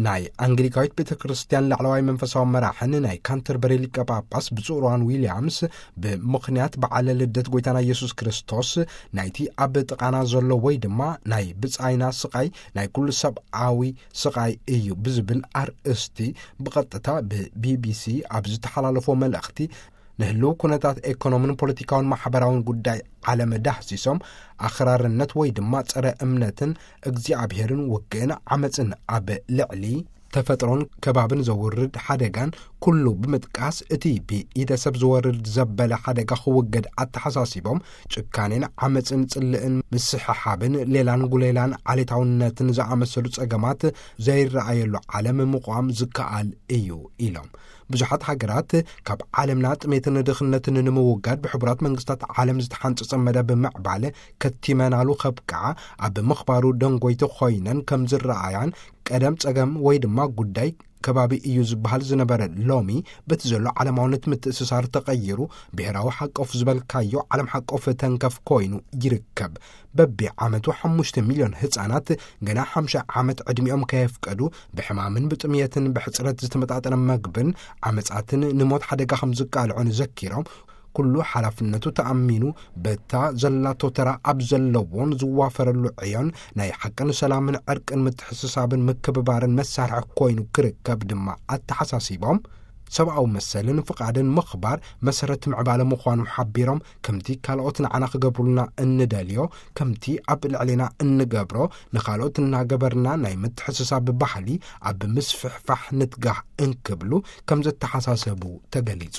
ናይ ኣንግሊካዊት ቤተ ክርስቲያን ላዕለዋይ መንፈሳዊ መራሕን ናይ ካንተርበሪ ሊቀ ጳጳስ ብፁዕ ሮዋን ዊልያምስ፣ ብምኽንያት በዓለ ልደት ጎይታና ኢየሱስ ክርስቶስ፣ ናይቲ ኣብ ጥቓና ዘሎ ወይ ድማ ናይ ብጻይና ስቓይ ናይ ኩሉ ሰብኣዊ ስቓይ እዩ ብዝብል ኣርእስቲ ብቐጥታ ብቢቢሲ ኣብ ዝተሓላለፎ መልእኽቲ፣ ንህልው ኩነታት ኤኮኖምን ፖለቲካውን ማሕበራውን ጉዳይ ዓለም ዳህሲሶም፣ ኣኽራርነት ወይ ድማ ጸረ እምነትን እግዚኣብሔርን ውግእን ዓመጽን ኣብ ልዕሊ ተፈጥሮን ከባብን ዘውርድ ሓደጋን ኩሉ ብምጥቃስ፣ እቲ ብኢደ ሰብ ዝወርድ ዘበለ ሓደጋ ክውገድ ኣተሓሳሲቦም፣ ጭካኔን ዓመጽን ጽልእን ምስሕሓብን ሌላን ጉሌላን ዓሌታውነትን ዝኣመሰሉ ጸገማት ዘይረኣየሉ ዓለም ምቋም ዝከኣል እዩ ኢሎም። ብዙሓት ሃገራት ካብ ዓለምና ጥሜትን ድኽነትን ንምውጋድ ብሕቡራት መንግስታት ዓለም ዝተሓንጸጸ መደብ ምዕባለ ከቲመናሉ ከብቅዓ ኣብ ምኽባሩ ደንጎይቲ ኮይነን ከም ዝረኣያን፣ ቀደም ጸገም ወይ ድማ ጉዳይ ከባቢ እዩ ዝበሃል ዝነበረ፣ ሎሚ በቲ ዘሎ ዓለማውነት ምትእስሳር ተቐይሩ፣ ብሔራዊ ሓቆፍ ዝበልካዮ ዓለም ሓቆፍ ተንከፍ ኮይኑ ይርከብ። በቢ ዓመቱ ሓሙሽተ ሚልዮን ህጻናት ገና ሓምሳ ዓመት ዕድሚኦም ከየፍቀዱ ብሕማምን ብጥምየትን ብሕጽረት ዝተመጣጠነ መግብን ዓመጻትን ንሞት ሓደጋ ከም ዝቃልዑን ዘኪሮም፣ ኩሉ ሓላፍነቱ ተኣሚኑ በታ ዘላቶ ተራ ኣብ ዘለዎን ዝዋፈረሉ ዕዮን ናይ ሓቅን ሰላምን ዕርቅን ምትሕስሳብን ምክብባርን መሳርሒ ኮይኑ ክርከብ ድማ ኣተሓሳሲቦም፣ ሰብኣዊ መሰልን ፍቓድን ምኽባር መሰረት ምዕባለ ምዃኑ ሓቢሮም፣ ከምቲ ካልኦት ንዓና ክገብሩልና እንደልዮ፣ ከምቲ ኣብ ልዕሌና እንገብሮ ንኻልኦት እናገበርና ናይ ምትሕስሳብ ባህሊ ኣብ ምስፍሕፋሕ ንትጋህ እንክብሉ ከም ዘተሓሳሰቡ ተገሊጹ።